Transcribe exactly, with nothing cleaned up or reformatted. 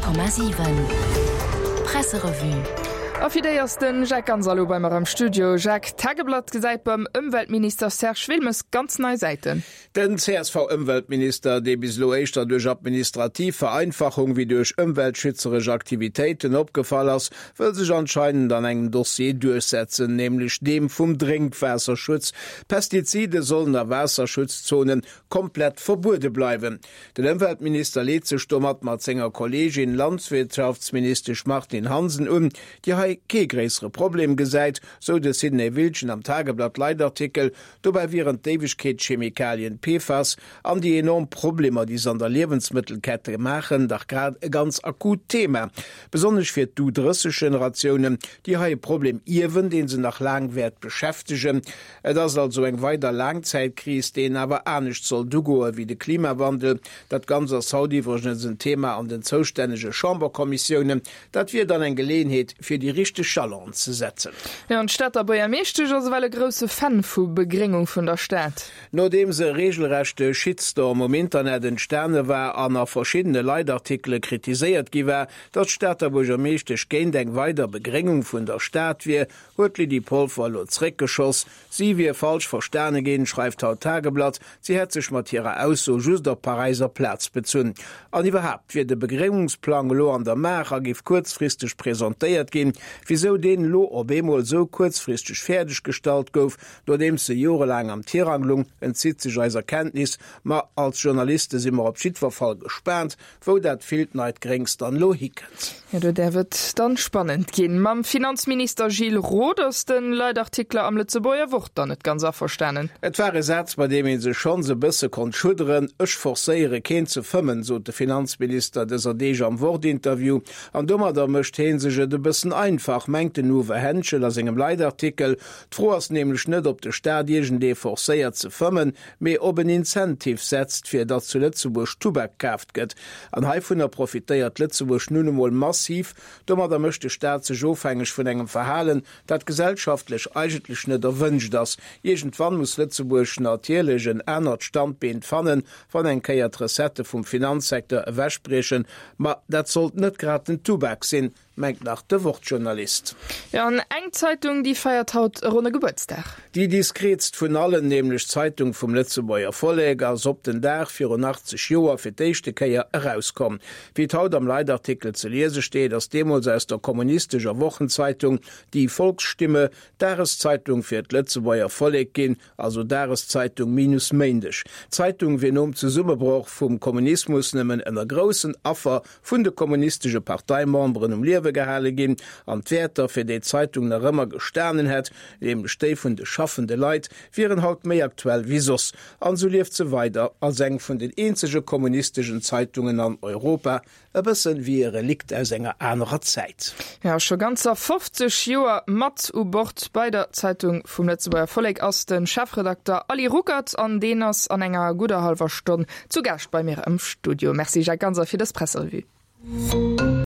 Komma siwen Presserevue. A fir déi ass den Jacques Ganser elo bei mer am Studio. Jacques, d'Tageblatt gesäit beim Ëmweltminister Serge Wilmes ganz nei Säiten. Den C S V-Ëmweltminister, dee bis elo éischter duerch administrativ Vereinfachung wéi duerch ëmweltschützeresch Aktivitéiten opgefall ass, wëll sech anscheinend an engem Dossier duerchsetzen, nämlech deem vum Drénkwaasserschutz. Pestizide sollen a Waasserschutzzonen komplett verbuede bleiwen. Den Ëmweltminister leet sech domat mat senger Kolleegin Landwirtschaftsministesch Martine Hansen un, déi hei kee gréissere Problem gesäit, sou de Sidney Wiltgen am Tageblatt-Leitartikel. Dobäi wieren d'Éiwegkeetschemikalien P F A S an déi enorm Problemer, déi se an der Liewensmëttelkette maachen, dach grad e ganz akut Thema. Besonnesch fir d'U drësseg Generatiounen, déi hei e Problem ierwen, dee se nach laang wäert beschäftegen. Et ass also eng weider Laangzäitkris, déi een awer anescht sollt ugoe wéi de Klimawandel. Dat Ganzt ass haut iwwregens en Thema an den zoustännege Chamberkommissiounen. Dat wier dann eng Geleeënheet, fir déi richteg Jalonen ze setzen. Jo, an d'Stater Buergermeeschtesch ass ewell e grousse Fan vu Begréngung vun der Stad. Nodeems e reegelrechte Shitstorm um Internet entstane war an a verschiddene Leitartikele kritiséiert gi war, datt d'Stater Buergermeeschtesch géint eng weider Begréngung vun der Stad wier, huet d'Lydie Polfer elo zréckgeschoss. Si wier falsch verstane ginn, schreift haut d'Tageblatt. Si hätt sech mat hirer Ausso just op d'Paräiser Plaz bezunn. An iwwerhaapt wier de Begréngungsplang elo an der Maach a géif kuerzfristeg presentéiert ginn. Wisou deen elo op eemol esou kuerzfristeg fäerdeg gestallt gouf, nodeems e jorelaang am Tirang lung, entzitt sech eiser Kenntnis. Ma als Journaliste si mer op jiddwer Fall gespaant, wou dat villt neit Gréngs dann elo hikënnt. Jo, do däerf et dann spannend ginn. Mam Finanzminister Gilles Roth ass de Leitartikler am Lëtzebuerger Wort dann net ganz averstanen. Et war e Saz, bei deem ee sech schonns e bësse konnt schudderen. Ech forcéiere keen ze fëmmen, sot de Finanzminister dëser Deeg am Wort-Interview. An domadder mécht hee sech et e bëssen einfach, mengt den Uwe Henschel a sengem Leitartikel. D'Fro ass nämlech net, ob de Staat iergendee forcéiert ze fëmmen, mee ob en Incentive setzt, fir datt zu Lëtzebuerg Tubak kaaft gëtt. An heivunner profitéiert Lëtzebuerg nun emol massiv. Domadder mécht de Staat sech ofhängeg vun engem Verhalen, dat gesellschaftlech eigentlech net erwënscht ass. Iergendwann muss Lëtzebuerg natierlech en anert Standbeen fannen, wann eng Kéier d'Recettë vum Finanzsecteur ewechbriechen. Ma dat sollt net grad den Tubak sinn, mengt nach de Wort-Journalist. Jo, an eng Zeitung, déi feiert haut e ronne Gebuertsdag. Déi diskreetst vun allen, nämlech d'Zeitung vum Lëtzebuerger Vollek, ass op den Dag virun achtzeg Joer fir d'éischte Kéier erauskomm. Wéi et haut am Leitartikel ze liese steet, ass deemools aus der kommunistescher Wochenzeitung Die Volksstimme Dageszeitung fir d'Lëtzebuerger Vollek ginn, also Dageszeitung minus Méindeg. D'Zeitung wier nom Zesummebroch vum Kommunismus nëmmen ënner groussen Affer vun de kommunistesche Parteimemberen um Liewe gehale ginn, an d'Wäerter, fir déi d'Zeitung nach ëmmer gestanen hätt, nämlech déi vun de schaffende Leit, wieren haut méi aktuell wéi soss. An esou lieft se weider als eng vun den eenzege kommunisteschen Zeitungen an Europa, e bëssen wéi e Relikt aus enger anerer Zäit. Jo, scho ganzer fofzeg Joer mat u Bord bei der Zeitung vum Lëtzebuerger Vollek ass de Chefredakter Ali Ruckert an deen ass an enger gudder hallwer Stonn zu Gaascht bei mir am Studio. Merci Jacques Ganser fir dës Presserevue.